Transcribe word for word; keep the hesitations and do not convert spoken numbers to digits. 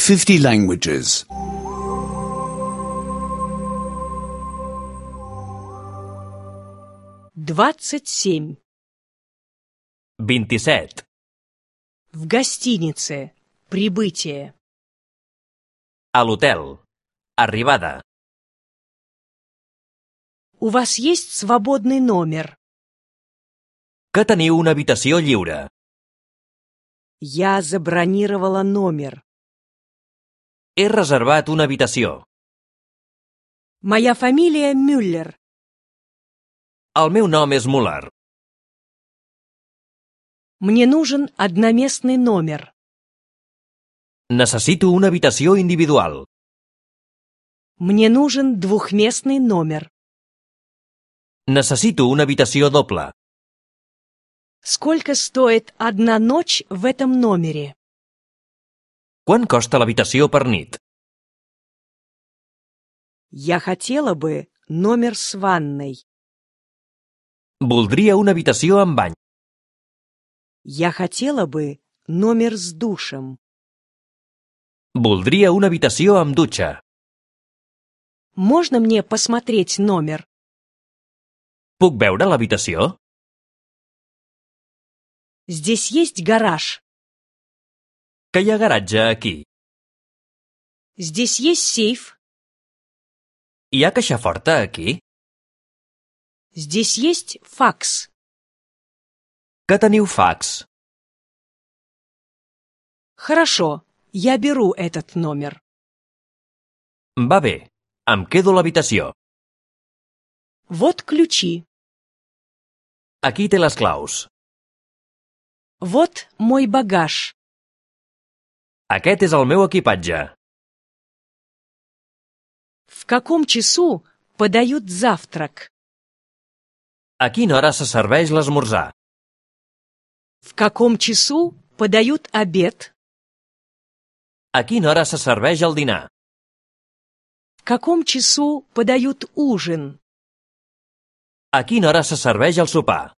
fifty languages. двадцать семь. vint-i-set. В гостинице. Прибытие. A l'hotel. Arribada. У вас есть свободный номер? Que teniu una habitació lliure. Я забронировала номер. He reservat una habitació. Моя фамилия Мюллер. El meu nom és Muller. Мне нужен одноместный номер. Necessito una habitació individual. Мне нужен двухместный номер. Necessito una habitació doble. Сколько стоит одна ночь в этом номере? Quant costa l'habitació per nit? Я хотела бы номер с ванной. Voldria una habitació amb bany. Я хотела бы номер с душем. Voldria una habitació amb dutxa. Можно мне посмотреть номер? Puc veure l'habitació? Здесь есть гараж. Que hi ha garatge aquí? Здесь есть сейф. Hi ha caixa forta aquí? Здесь есть факс. Que teniu fax? Хорошо, я беру этот номер. Va bé, em quedo l'habitació. Вот ключи. Aquí té les claus. Вот мой багаж. Aquest és el meu equipatge. В каком часу подают завтрак? A quina hora se serveix l'esmorzar? В каком часу подают обед? A quina hora se serveix el dinar? В каком часу подают ужин? A quina hora se serveix el sopar?